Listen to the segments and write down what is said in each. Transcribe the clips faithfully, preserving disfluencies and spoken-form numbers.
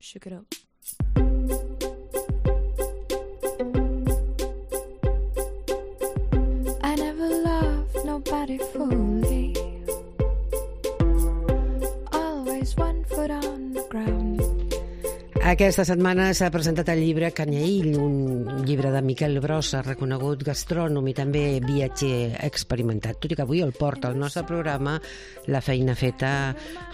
Shook it up. I never loved nobody fully. Always one foot on the ground. Aquesta setmana s'ha presentat el llibre Canyaïll, un llibre de Miquel Brossa, reconegut gastrònom i també viatger experimentat. Tot i que avui el porta al nostre programa la feina feta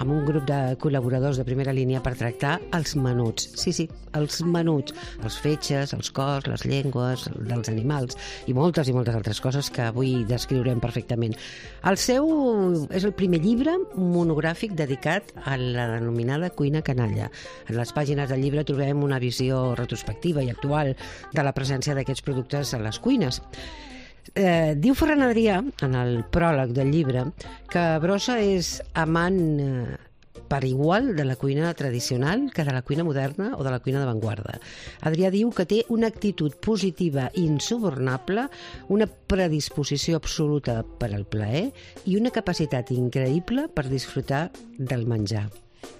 amb un grup de col·laboradors de primera línia per tractar els menuts. Sí, sí, els menuts, els fetges, els cors, les llengües dels animals i moltes i moltes altres coses que avui descriurem perfectament. El seu és el primer llibre monogràfic dedicat a la denominada cuina canalla. En les pàgines del llibre trobem una visió retrospectiva i actual de la presència d'aquests productes a les cuines. Eh, diu Ferran Adrià, en el pròleg del llibre, que Brossa és amant eh, per igual de la cuina tradicional que de la cuina moderna o de la cuina d'avantguarda. Adrià diu que té una actitud positiva insubornable, una predisposició absoluta per al plaer i una capacitat increïble per disfrutar del menjar.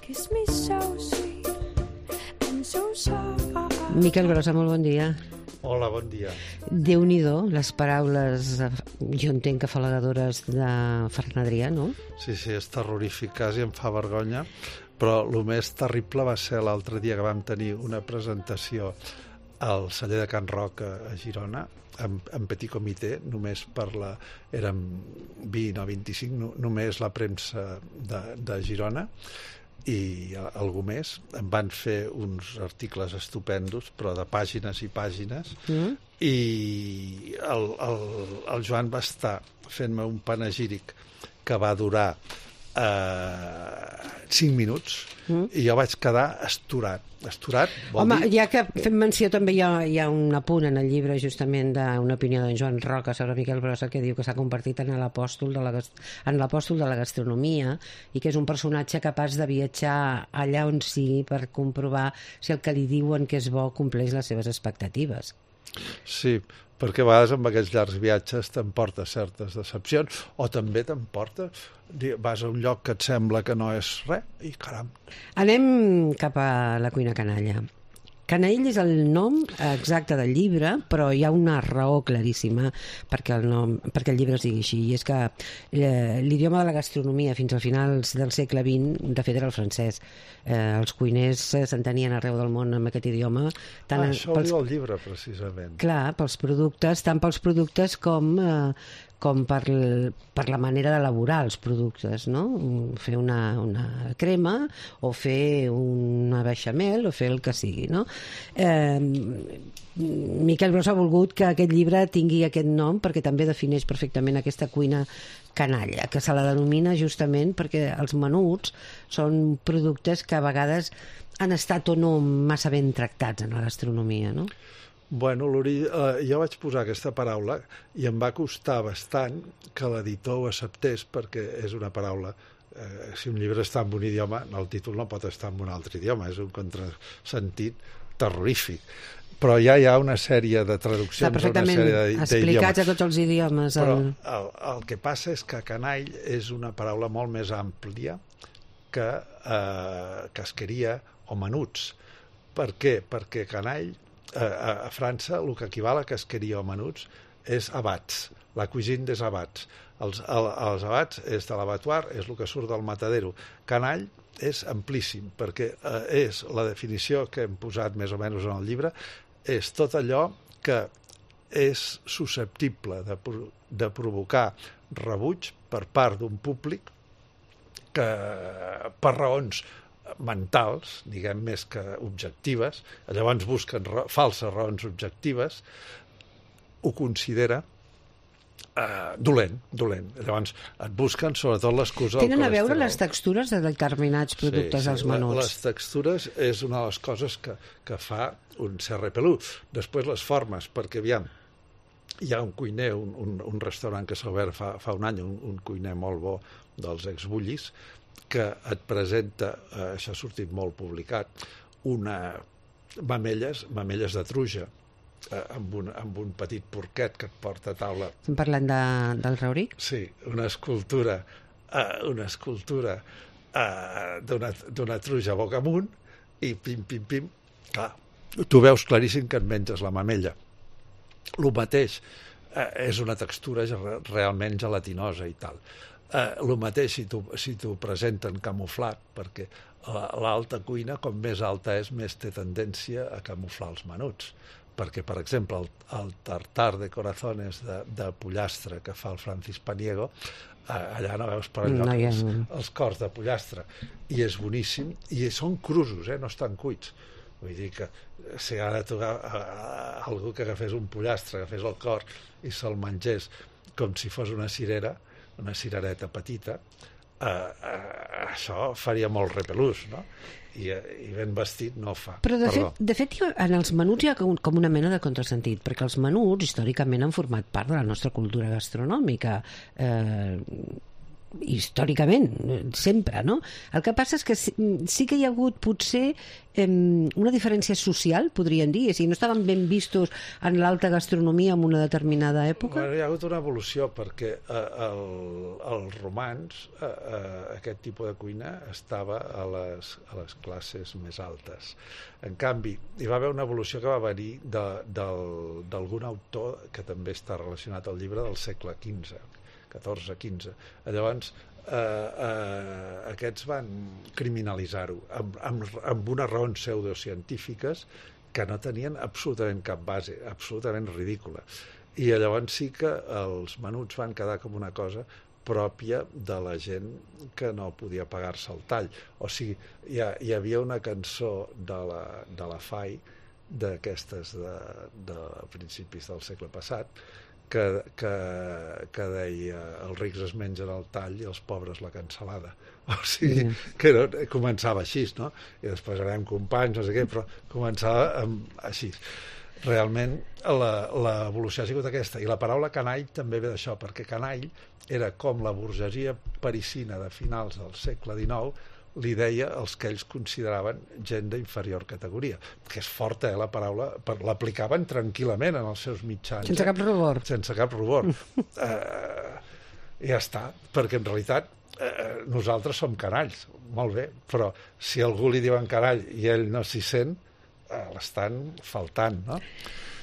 Kiss me so sweet. Miquel Brossa, molt bon dia. Hola, bon dia. Déu-n'hi-do, les paraules, jo entenc que afalagadores de Ferran Adrià, no? Sí, sí, és terrorífic, quasi em fa vergonya, però el més terrible va ser l'altre dia que vam tenir una presentació al celler de Can Roc a Girona, en, en petit comitè, només per la... érem vint o vint-i-cinc, no, només la premsa de, de Girona, i algú més. Em van fer uns articles estupendos, però de pàgines i pàgines, mm. i el, el, el Joan va estar fent-me un panegíric que va durar eh, cinc minuts, mm. i jo vaig quedar estorat. Estorat vol Home, dir... ja que fem menció també hi ha, hi ha un apunt en el llibre justament d'una opinió d'en Joan Roca sobre Miquel Brossa que diu que s'ha convertit en l'apòstol de la, en l'apòstol de la gastronomia i que és un personatge capaç de viatjar allà on sigui per comprovar si el que li diuen que és bo compleix les seves expectatives. Sí, perquè a vegades amb aquests llargs viatges t'emporta certes decepcions o també t'emporta, vas a un lloc que et sembla que no és res i caram. Anem cap a la cuina canalla. Canyaïll és el nom exacte del llibre, però hi ha una raó claríssima perquè el, nom, perquè el llibre es digui així, i és que eh, l'idioma de la gastronomia fins a finals del segle vint, de fet, era el francès. Eh, els cuiners s'entenien arreu del món amb aquest idioma. Tant ah, això ho pels, diu el llibre, precisament. Clar, pels productes, tant pels productes com... Eh, com per, per la manera d'elaborar els productes, no? Fer una, una crema o fer una beixamel o fer el que sigui, no? Eh, Miquel Brossa ha volgut que aquest llibre tingui aquest nom perquè també defineix perfectament aquesta cuina canalla, que se la denomina justament perquè els menuts són productes que a vegades han estat o no massa ben tractats en la gastronomia, no? Bueno, eh, jo vaig posar aquesta paraula i em va costar bastant que l'editor ho acceptés perquè és una paraula, eh, si un llibre està en un idioma, el títol no pot estar en un altre idioma, és un contrasentit terrorífic. Però ja hi ha una sèrie de traduccions, està perfectament una sèrie explicats a tots els idiomes. Però el, el que passa és que canall és una paraula molt més àmplia que eh, casqueria o menuts. Per què? Perquè canall a França el que equival a casqueria o menuts és abats, la cuisine des abats. Els, el, els abats és de l'abattoir, és el que surt del matadero. Canall és amplíssim, perquè eh, és la definició que hem posat més o menys en el llibre, és tot allò que és susceptible de, de provocar rebuig per part d'un públic que per raons mentals, diguem més que objectives, llavors busquen ra- falses raons objectives, ho considera eh, dolent, dolent. Llavors et busquen sobretot l'excusa del Tenen a veure colesterol. les textures de determinats productes sí, sí. als menuts. Les textures és una de les coses que, que fa un cerre pelut. Després les formes, perquè aviam, hi ha un cuiner, un, un, un restaurant que s'ha obert fa, fa un any, un, un cuiner molt bo dels exbullis, que et presenta, eh, això ha sortit molt publicat, una mamelles, mamelles de truja, eh, amb, un, amb un petit porquet que et porta a taula. Estem parlant de, del Rauric? Sí, una escultura, eh, una escultura eh, d'una, d'una truja boca amunt, i pim, pim, pim, clar, tu veus claríssim que et menges la mamella. El mateix, eh, és una textura realment gelatinosa i tal. Eh, el mateix si t'ho si t'ho presenten camuflat, perquè l'alta cuina, com més alta és, més té tendència a camuflar els menuts. Perquè, per exemple, el, el tartar de corazones de, de pollastre que fa el Francis Paniego, eh, allà no veus per enlloc no, ja... els, els cors de pollastre, i és boníssim, i són crusos, eh, no estan cuits. Vull dir que si ara tu a, a, a algú que agafés un pollastre, agafés el cor i se'l mengés com si fos una cirera, una cirereta petita, eh, eh, això faria molt repelús, no? I, i ben vestit no fa. Però de fet, de fet en els menuts hi ha com una mena de contrasentit, perquè els menuts històricament han format part de la nostra cultura gastronòmica, eh, històricament, sempre, no? El que passa és que sí, sí que hi ha hagut potser eh, una diferència social, podríem dir, si no estaven ben vistos en l'alta gastronomia en una determinada època. Bueno, hi ha hagut una evolució perquè eh, el, els romans eh, eh, aquest tipus de cuina estava a les, a les classes més altes. En canvi, hi va haver una evolució que va venir d'algun autor que també està relacionat al llibre del segle quinze, catorze quinze. Llavors, eh, eh, aquests van criminalitzar-ho amb, amb, amb unes raons pseudocientífiques que no tenien absolutament cap base, absolutament ridícula. I llavors sí que els menuts van quedar com una cosa pròpia de la gent que no podia pagar-se el tall. O sigui, hi, ha, hi havia una cançó de la, de la Fai, d'aquestes de, de principis del segle passat, Que, que, que deia els rics es mengen el tall i els pobres la cansalada. O sigui, mm. que no, començava així, no? I després érem companys, no sé què, però començava amb, així. Realment l'evolució ha sigut aquesta. I la paraula canall també ve d'això, perquè canall era com la burgesia parisina de finals del segle dinou li deia els que ells consideraven gent d'inferior categoria, que és forta, eh, la paraula, per, l'aplicaven tranquil·lament en els seus mitjans. Sense cap rubor. Sense cap rubor. eh, ja està, perquè en realitat eh, nosaltres som canalls, molt bé, però si algú li diuen canall i ell no s'hi sent, eh, l'estan faltant, no?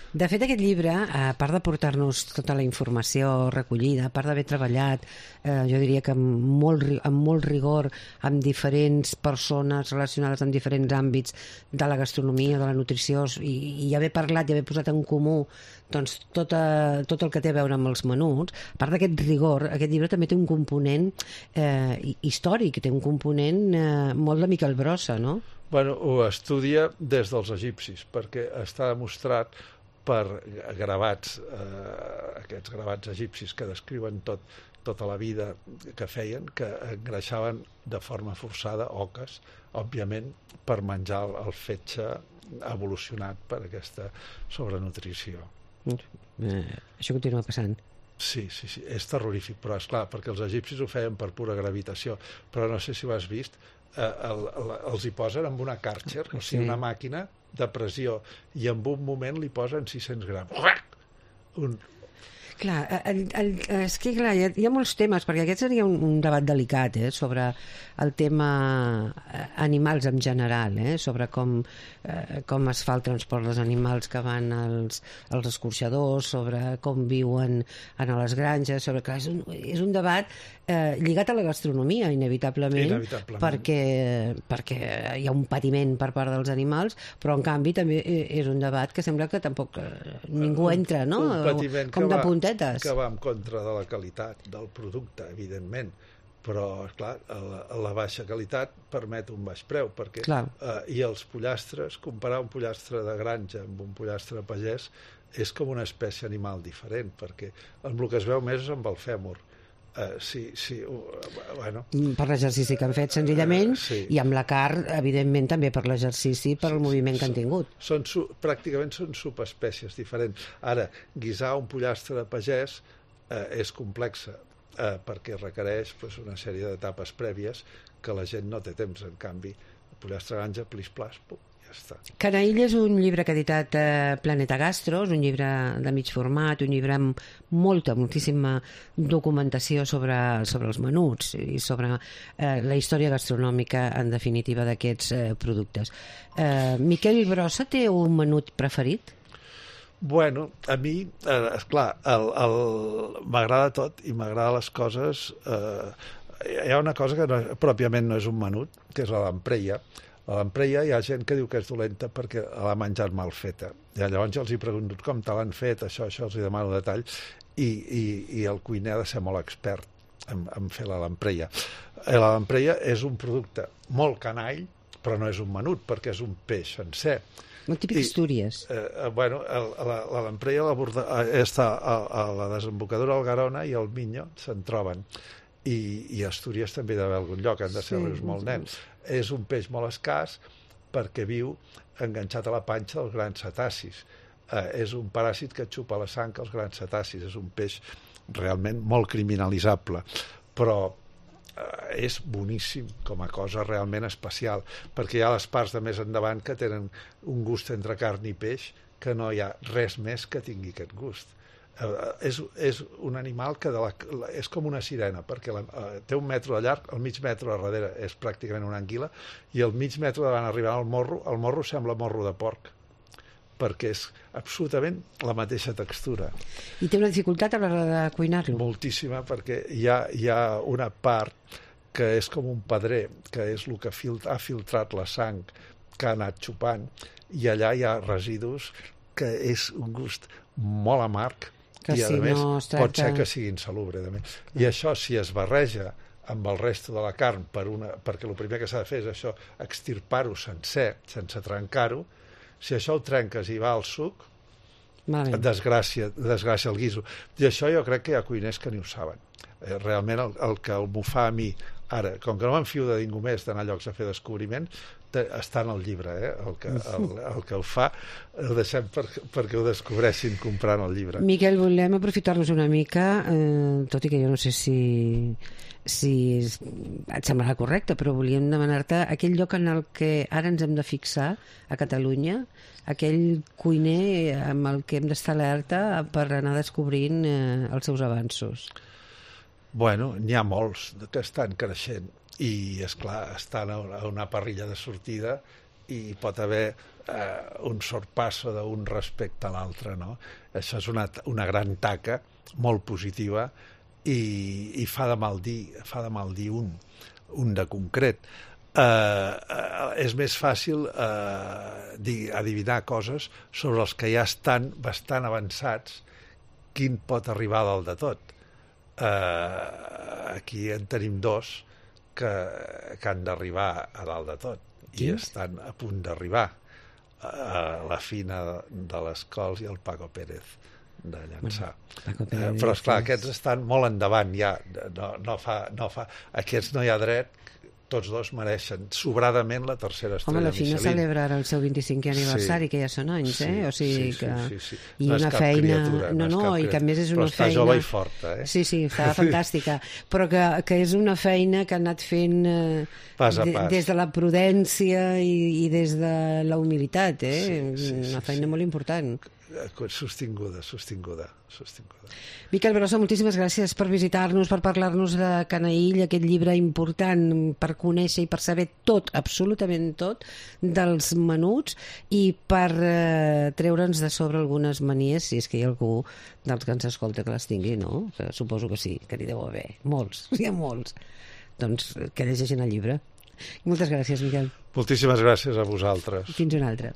De fet, aquest llibre, a part de portar-nos tota la informació recollida, a part d'haver treballat, eh, jo diria que amb molt, amb molt rigor, amb diferents persones relacionades amb diferents àmbits de la gastronomia, de la nutrició, i, i haver parlat i haver posat en comú doncs, tot, a, tot el que té a veure amb els menuts, a part d'aquest rigor, aquest llibre també té un component eh, històric, té un component eh, molt de Miquel Brossa, no? Bueno, ho estudia des dels egipcis, perquè està demostrat per gravats, eh, aquests gravats egipcis que descriuen tot, tota la vida que feien, que engreixaven de forma forçada oques, òbviament, per menjar el fetge evolucionat per aquesta sobrenutrició. Eh, això continua passant. Sí, sí, sí, és terrorífic, però és clar, perquè els egipcis ho feien per pura gravitació, però no sé si ho has vist, eh, el, el, els hi posen amb una Karcher, o sigui, una màquina de pressió, i en un moment li posen sis-cents grams. Un... Clar, el, el, és que clar, hi ha, hi ha molts temes, perquè aquest seria un, un debat delicat, eh, sobre el tema animals en general, eh, sobre com, eh, com es fa el transport dels animals que van als, als escorxadors, sobre com viuen en les granges, sobre, clar, és un, és un debat eh, lligat a la gastronomia, inevitablement, inevitablement. Perquè, perquè hi ha un patiment per part dels animals, però en canvi també és un debat que sembla que tampoc eh, ningú entra, no? Un patiment com de puntetes. Que va en contra de la qualitat del producte, evidentment, però, esclar, la, la baixa qualitat permet un baix preu, perquè eh, i els pollastres, comparar un pollastre de granja amb un pollastre pagès és com una espècie animal diferent, perquè amb el que es veu més és amb el fèmur. Uh, sí, sí, uh, bueno. Per l'exercici que han fet, senzillament, uh, sí. I amb la carn, evidentment, també per l'exercici, per el sí, moviment sí, que han tingut. Són, són, pràcticament són subespècies diferents. Ara, guisar un pollastre de pagès uh, és complexa, uh, perquè requereix pues, una sèrie d'etapes prèvies que la gent no té temps. En canvi, el pollastre granja, plis-plas, pum, ja està. Canaïll és un llibre que ha editat eh, Planeta Gastro, és un llibre de mig format, un llibre amb molta, moltíssima documentació sobre, sobre els menuts i sobre eh, la història gastronòmica, en definitiva, d'aquests eh, productes. Eh, Miquel Brossa té un menut preferit? Bueno, a mi, eh, esclar, el, el, m'agrada tot i m'agrada les coses... Eh, hi ha una cosa que no, pròpiament no és un menut, que és la lampreia. A l'empreia hi ha gent que diu que és dolenta perquè l'ha menjat mal feta. I llavors jo els hi pregunto com te l'han fet, això, això, els hi demano detall, i, i, i el cuiner ha de ser molt expert en, en fer la lampreia. La lampreia és un producte molt canall, però no és un menut, perquè és un peix sencer. Molt típic Astúries. Eh, bueno, el, la, la lampreia la borda, eh, està a, a la desembocadura del Garona i el Miño se'n troben. I, i Astúries també hi ha d'haver algun lloc, han de ser sí, rius molt nens. És un peix molt escàs perquè viu enganxat a la panxa dels grans cetacis. Eh, és un paràsit que xupa la sang als grans cetacis. És un peix realment molt criminalitzable, però eh, és boníssim com a cosa realment especial, perquè hi ha les parts de més endavant que tenen un gust entre carn i peix que no hi ha res més que tingui aquest gust. Uh, és, és un animal que de la, la, és com una sirena, perquè la, uh, té un metre de llarg, el mig metre a darrere és pràcticament una anguila, i el mig metre davant arribant al morro, el morro sembla morro de porc, perquè és absolutament la mateixa textura. I té una dificultat a l'hora de cuinar-lo? Moltíssima, perquè hi ha, hi ha una part que és com un pedrer, que és el que fil, ha filtrat la sang que ha anat xupant, i allà hi ha residus que és un gust molt amarg, que i a si més no tracta... pot ser que sigui insalubre. I això, si es barreja amb el resto de la carn, per una, perquè el primer que s'ha de fer és això, extirpar-ho sencer, sense trencar-ho, si això ho trenques i va al suc, vale. desgràcia, desgràcia el guiso. I això jo crec que hi ha cuiners que ni ho saben. Eh, realment el, el que el fa a mi, ara, com que no m'enfio de ningú més d'anar a llocs a fer descobriment, està en el llibre, eh? el, que, el, el que ho fa el deixem per, perquè ho descobreixin comprant el llibre. Miquel, volem aprofitar-nos una mica, eh, tot i que jo no sé si, si et semblarà correcte, però volíem demanar-te aquell lloc en el que ara ens hem de fixar a Catalunya, aquell cuiner amb el que hem d'estar alerta per anar descobrint eh, els seus avanços. Bueno, n'hi ha molts que estan creixent i, esclar, estan a una parrilla de sortida i pot haver eh, un sorpasso d'un respecte a l'altre, no? Això és una, una gran taca molt positiva i, i fa de mal dir, fa de mal dir un, un de concret. Eh, eh, és més fàcil eh, dir, adivinar coses sobre els que ja estan bastant avançats, quin pot arribar a dalt de tot. Eh, aquí en tenim dos que, que han d'arribar a dalt de tot. Quins? I estan a punt d'arribar. Uh, la Fina de les Cols i el Paco Pérez de Llançà. Bueno, uh, però, esclar, aquests estan molt endavant ja. No, no fa, no fa... Aquests no hi ha dret, tots dos mereixen sobradament la tercera estrella Michelin. Home, la Fina Michelin. celebra ara el seu vint-i-cinquè aniversari, sí, que ja són anys, eh? O sigui sí, que... sí, sí, sí. I no una és cap feina... criatura, no, no, no i que a més és una però està feina... jove i forta, eh? Sí, sí, està fantàstica. Però que, que és una feina que ha anat fent eh, pas a pas. De, des de la prudència i, i des de la humilitat, eh? Sí, sí, una sí, feina sí. molt important. Sostinguda, sostinguda, sostinguda. Miquel Brossa, moltíssimes gràcies per visitar-nos, per parlar-nos de Canaïll, aquest llibre important per conèixer i per saber tot, absolutament tot, dels menuts i per eh, treure'ns de sobre algunes manies, si és que hi ha algú dels que ens escolta que les tingui, no? Que suposo que sí, que n'hi deu haver. Molts, hi ha molts. Doncs que llegeixin el llibre. Moltes gràcies, Miquel. Moltíssimes gràcies a vosaltres. Fins una altra.